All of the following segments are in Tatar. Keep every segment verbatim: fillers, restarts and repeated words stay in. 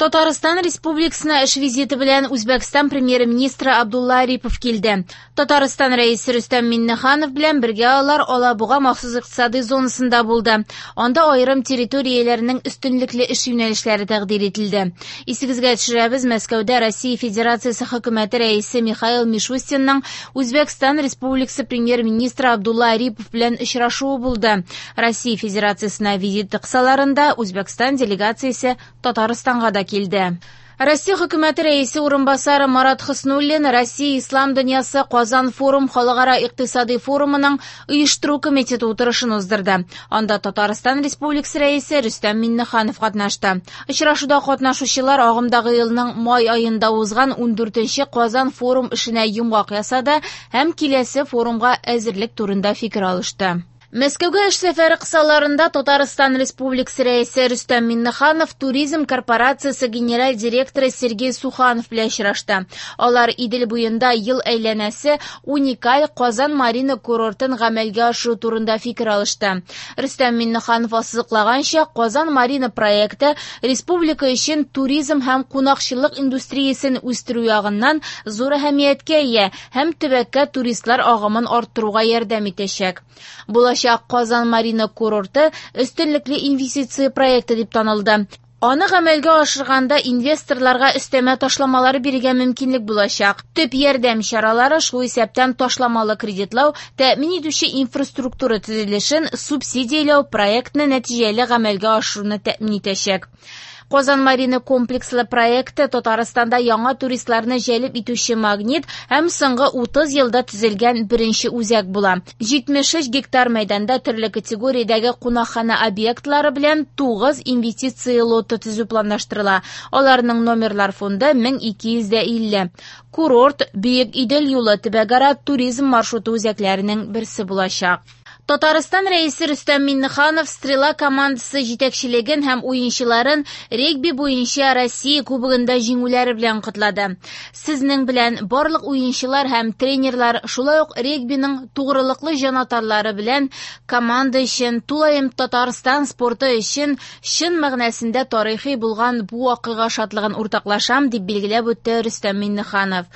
Татарстан Республикасына эш визиты белән Үзбәкстан премьер-министры Абдулла Арипов килде. Татарстан Рәисе Рөстәм Миңнеханов белән бергә алар Алабуга махсус икътисади зонасында булды. Анда аерым территорияләрнең өстенлекле эш юнәлешләре тәкъдир ителде. Исегезгә төшерәбез, Мәскәүдә Россия Федерациясе хөкүмәте рәисе Михаил Мишустинның Үзбәкстан Республикасы премьер-министры Абдулла Арипов белән очрашуы булды. Россия Федерациясенә визиты кысаларында Үзбәкстан делегациясе Татарстанга да килде. Россия хөкүмәте рәисе урынбасары Марат Хөснуллин Россия Ислам дөньясы Казан форум халыкара икътисади форумының оештыру комитеты утырышын уздырды. Анда Татарстан Республикасы рәисе Рөстәм Миңнеханов катнашты. Очрашуда катнашучылар агымдагы елның май аенда узган ундүртенче Казан форум эшенә йомгак ясады һәм киләсе форумга әзерлек турында фикер алышты. Мәскәүгә эш сәфәре кысаларында Татарстан Республикасы рәисе Рөстәм Миңнеханов Туризм корпорациясе генераль директоры Сергей Суханов белән очрашты. Алар Идел буенда ел әйләнәсе уникаль Казан Марина курортын гамәлгә ашыру турында фикер алышты. Рөстәм Миңнеханов ассызыклаганча, Казан Марина проекты республика өчен туризм һәм кунакчыллык индустриясен үстерү ягыннан зур әһәмияткә ия һәм төбәккә туристлар агымын арттыруга ярдәм итәчәк. Булачак Казан Марина курорты өстенлекле инвестиция проекты дип танылды. Аны гамәлгә ашырганда инвесторларга өстәмә ташламалар бирергә мөмкинлек булачак. Төп ярдәм чаралары, шул исәптән ташламалы кредитлау, тәэмин итүче инфраструктура төзелешен субсидияләү проектны нәтиҗәле гамәлгә ашыруны тәэмин итәчәк. Казан Марина комплекслы проекты Татарстанда яңа туристларны җәлеп итүче магнит һәм соңгы утыз елда төзелгән беренче үзәк була. җитмеш өч гектар мәйданда төрле категориядәге кунакхана объектлары белән тугыз инвестиция лоты төзү планлаштырыла. Аларның номерлар фонды мең ике йөз дә илле. Курорт Бөек Идел юлы төбәкара туризм маршруты үзәкләренең берсе булачак. Татарстан рәисе Рөстәм Миңнеханов Стрела командасы җитәкчелеген һәм уенчыларын регби буенча Россия кубогында җиңүләре белән котлады. Сезнең белән барлык уенчылар һәм тренерлар, шулай ук регбиның тугрылыклы җанатарлары белән команда өчен, тулаем Татарстан спорты өчен чын мәгънәсендә тарихи булган бу вакыйга шатлыгын уртаклашам, дип билгеләп үтте Рөстәм Миңнеханов.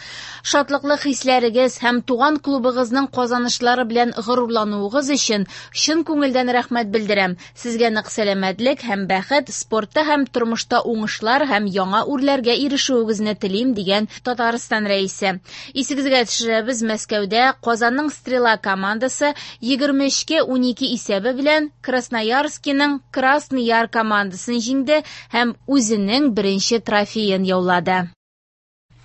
Шатлыклы хисләрегез һәм туган клубыгызның казанышлары белән горурлануыгыз өчен чын күңелдән рәхмәт белдерәм. Сезгә нык сәламәтлек һәм бәхет, спортта һәм тормышта уңышлар һәм яңа үрләргә ирешүегезне телим, дигән Татарстан рәисе. Исегезгә төшерәбез, Мәскәүдә Казанның Стрела командасы егерме өчкә унике исәбе белән Красноярскиның Красный Яр командасын җиңде һәм үзенең беренче трофеен яулады.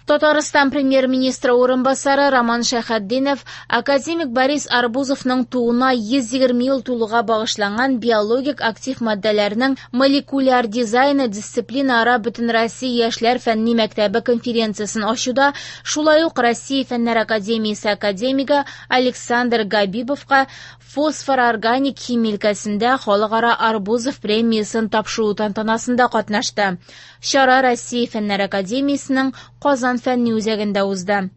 Татарстан премьер-министры урынбасары Роман Шәйхетдинов академик Борис Арбузовның тууына йөз егерме ел тулуга багышланган биологик актив матдәләрнең молекуляр дизайны дисциплинаара Бөтенроссия яшьләр фәнни мәктәбе конференциясен ачуда, шулай ук Россия Фәннәр академиясе академигы Александр Габибовка фосфор-органик химия өлкәсендә халыкара Арбузов премиясен тапшыру тантанасында катнашты. Чара Россия Фәннәр академиясенең Казан фәнни үзәгендә узды.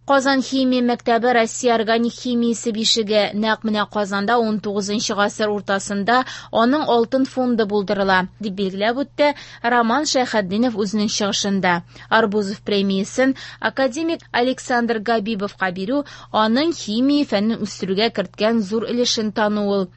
Казан химия мәктәбе Россия органик химиясе бишеге. Нәкъ менә Казанда ун тугызынчы гасыр уртасында аның алтын фонды булдырыла, дип билгеләп үтте Роман Шәйхетдинов үзенең чыгышында. Арбузов премиясен академик Александр Габибовка бирү аның химия фәнен үстерүгә керткән зур өлешен тану ул.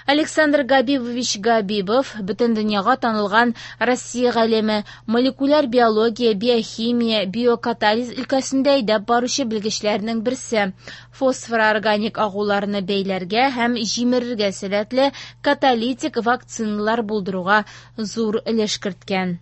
Александр Габибович Габибов бөтен дөньяга танылган Россия галиме, молекуляр биология, биохимия, биокатализ өлкәсендә әйдәп баручы белгечләрнең берсе. Фосфор-органик агуларны бәйләргә һәм җимерергә сәләтле каталитик вакциналар булдыруга зур өлеш керткән.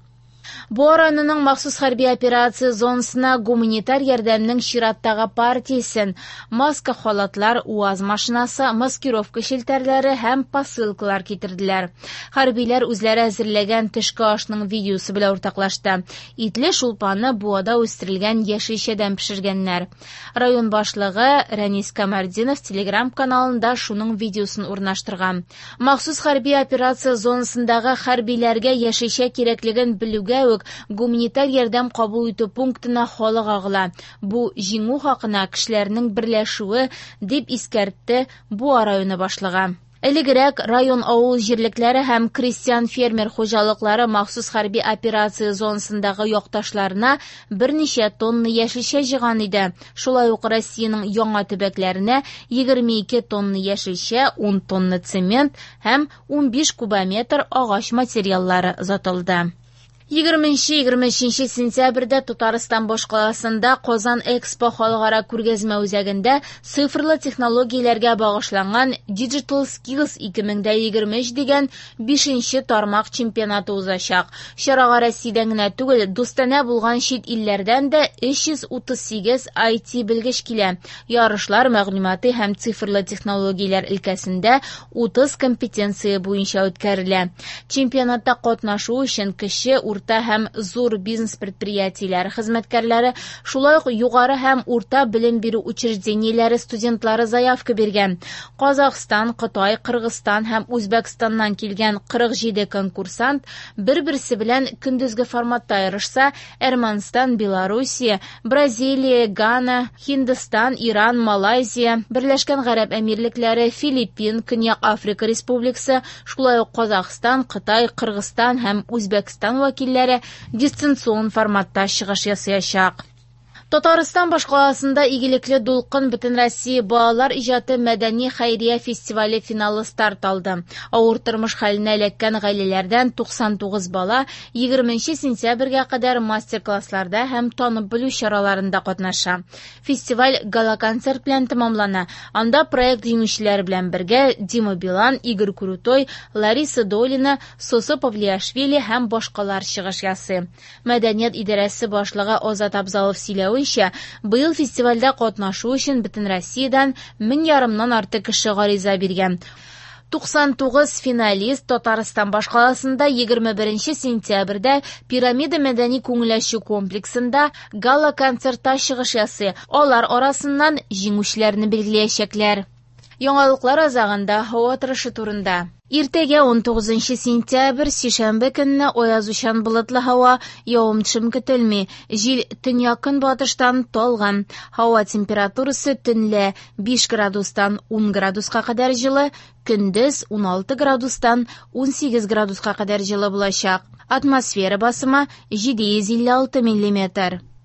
Буа районының махсус хәрби операция зонасына гуманитар ярдәмнең чираттагы партиясен маска халатлар, УАЗ машинасы, маскировка челтәрләре һәм посылкалар китерделәр. Хәрбиләр үзләре әзерләгән төшке ашның видеосы белән уртаклашты. Итле шулпаны Буада үстерелгән яшелчәдән пешергәннәр. Район башлыгы Рәнис Камәрдинов телеграм-каналында шуның видеосын урнаштырган. Махсус хәрби операция зонасындагы хәрбиләргә яшелчә кирәклеген белүгә үк гуманитар ярдәм кабул итү пунктына халык агыла. Бу җиңү хакына кешеләрнең берләшүе, дип искәртте Буа районы башлыгы. Элегрәк район авыл җирлекләре һәм крестьян-фермер хуҗалыклары махсус хәрби операция зонасындагы якташларына берничә тонна яшелчә җыйган иде. Шулай ук Россиянең яңа төбәкләренә егерме ике тонна яшелчә, ун тонна цемент һәм унбиш кубометр агач материаллары озатылды. егерменче-егерме өченче сентябрьдә Татарстан башкаласында Казан Экспо халыкара күргәзмә үзәгендә цифрлы технологияләргә багышланган Digital Skills ике мең дә егерме өч дигән бишенче тармак чемпионаты узачак. Чарага Россиядән генә түгел, дустанә булган чит илләрдән дә өч йөз утыз сигез ай ти белгеч килә. Ярышлар мәгълүмати һәм цифрлы технологияләр өлкәсендә утыз компетенция буенча үткәрелә. Чемпионатта катнашу өчен кече, урта һәм зур бизнес предприятиеләре хезмәткәрләре, шулай ук югары һәм урта белем бирү учреждениеләре студентлары заявка биргән. Казахстан, Кытай, Кыргызстан һәм Үзбәкстаннан килгән кырык җиде конкурсант бер-берсе белән көндезге форматта ярышса, Әрмәнстан, Белоруссия, Бразилия, Гана, Һиндстан, Иран, Малайзия, Берләшкән Гарәп Әмирлекләре, Филиппин, Көньяк Африка Республикасы, шулай ук Казахстан, Кытай, Кыргызстан һәм Үзбәкстан вәкилләре дистанцион форматта чыгыш ясаячак. Татарстан башкаласында игелекле дулкын Бөтенроссия балалар иҗаты мәдәни хәйрия фестивале финалы старт алды. Авыр тормыш хәленә эләккән гаиләләрдән туксан тугыз бала егерменче сентябрьгә кадәр мастер-классларда һәм танып белү чараларында катнаша. Фестиваль гала-концерт белән тәмамлана. Анда проект җиңүчеләре белән бергә Дима Билан, Игорь Крутой, Лариса Долина, Сосо Павлиашвили һәм башкалар чыгыш ясый. Мәдәният идарәсе башлыгы Азат Абзалов сөйләвенчә, быел фестивальдә катнашу өчен бөтен Россиядән мең ярымнан артык кеше гариза биргән. Туксан тугыз финалист Татарстан башкаласында егерме беренче сентябрьдә Пирамида мәдәни күңел ачу комплексында гала-концертта чыгыш ясый. Алар арасыннан җиңүчеләрне билгеләячәкләр. Яңалыклар азагында һава торышы турында. Иртәгә ун тугызынчы сентябрь, сишәмбе көнне аязучан болытлы һава, явым-төшем көтелми. Җил төньяк-көнбатыштан талгын. Һава температурасы төнлә биш градустан ун градуска кадәр җылы, көндез ун алты градустан ун сигез градуска кадәр җылы булачак. Атмосфера басымы җиде йөз илле алты миллиметр.